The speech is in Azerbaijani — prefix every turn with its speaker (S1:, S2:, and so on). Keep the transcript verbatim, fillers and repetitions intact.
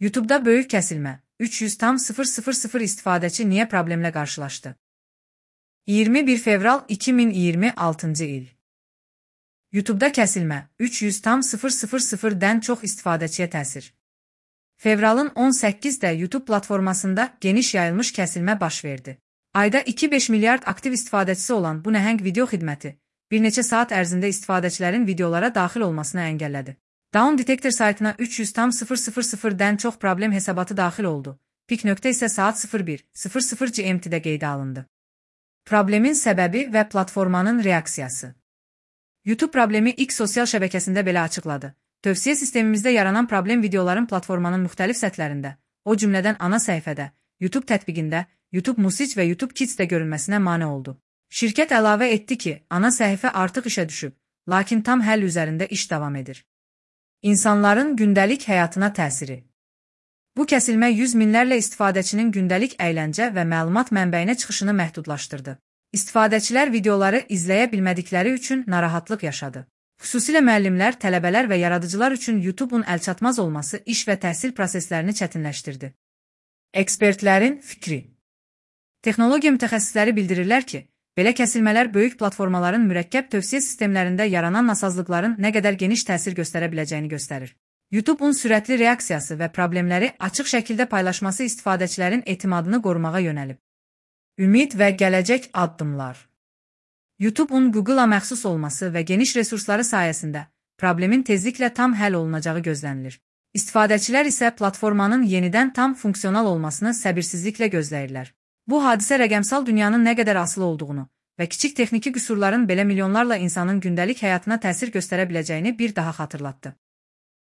S1: YouTube'da böyük kəsilmə. üç yüz tam sıfır sıfır sıfır istifadəçi niyə problemlə qarşılaşdı? iyirmi bir fevral iki min iyirmi altıncı il. YouTube'da kəsilmə. üç yüz tam sıfır sıfır sıfırdən çox istifadəçiyə təsir. Fevralın on səkkizdə YouTube platformasında geniş yayılmış kəsilmə baş verdi. Ayda iki nöqtə beş milyard aktiv istifadəçisi olan bu nəhəng video xidməti bir neçə saat ərzində istifadəçilərin videolara daxil olmasını əngəllədi. Down Detector saytına üç yüz tam sıfır sıfır sıfırdən çox problem hesabatı daxil oldu. Pik nöqtə isə saat sıfır bir sıfır sıfır G M T'də qeydə alındı. Problemin səbəbi və platformanın reaksiyası. YouTube problemi X sosial şəbəkəsində belə açıqladı. Tövsiyə sistemimizdə yaranan problem videoların platformanın müxtəlif səthlərində, o cümlədən ana səhifədə, YouTube tətbiqində, YouTube Music və YouTube Kids'də görünməsinə mane oldu. Şirkət əlavə etdi ki, ana səhifə artıq işə düşüb, lakin tam həll üzərində iş davam edir. İnsanların gündəlik həyatına təsiri. Bu kəsilmə yüz minlərlə istifadəçinin gündəlik əyləncə və məlumat mənbəyinə çıxışını məhdudlaşdırdı. İstifadəçilər videoları izləyə bilmədikləri üçün narahatlıq yaşadı. Xüsusilə müəllimlər, tələbələr və yaradıcılar üçün YouTube'un əlçatmaz olması iş və təhsil proseslərini çətinləşdirdi. Ekspertlərin fikri. Texnologiya mütəxəssisləri bildirirlər ki, belə kəsilmələr böyük platformaların mürəkkəb tövsiyə sistemlərində yaranan nasazlıqların nə qədər geniş təsir göstərə biləcəyini göstərir. YouTube'un sürətli reaksiyası və problemləri açıq şəkildə paylaşması istifadəçilərin etimadını qorumağa yönəlib. Ümid və gələcək addımlar. YouTube'un Google'a məxsus olması və geniş resursları sayəsində problemin tezliklə tam həll olunacağı gözlənilir. İstifadəçilər isə platformanın yenidən tam funksional olmasını səbirsizliklə gözləyirlər. Bu hadisə rəqəmsal dünyanın nə qədər asılı olduğunu və kiçik texniki qüsurların belə milyonlarla insanın gündəlik həyatına təsir göstərə biləcəyini bir daha xatırlatdı.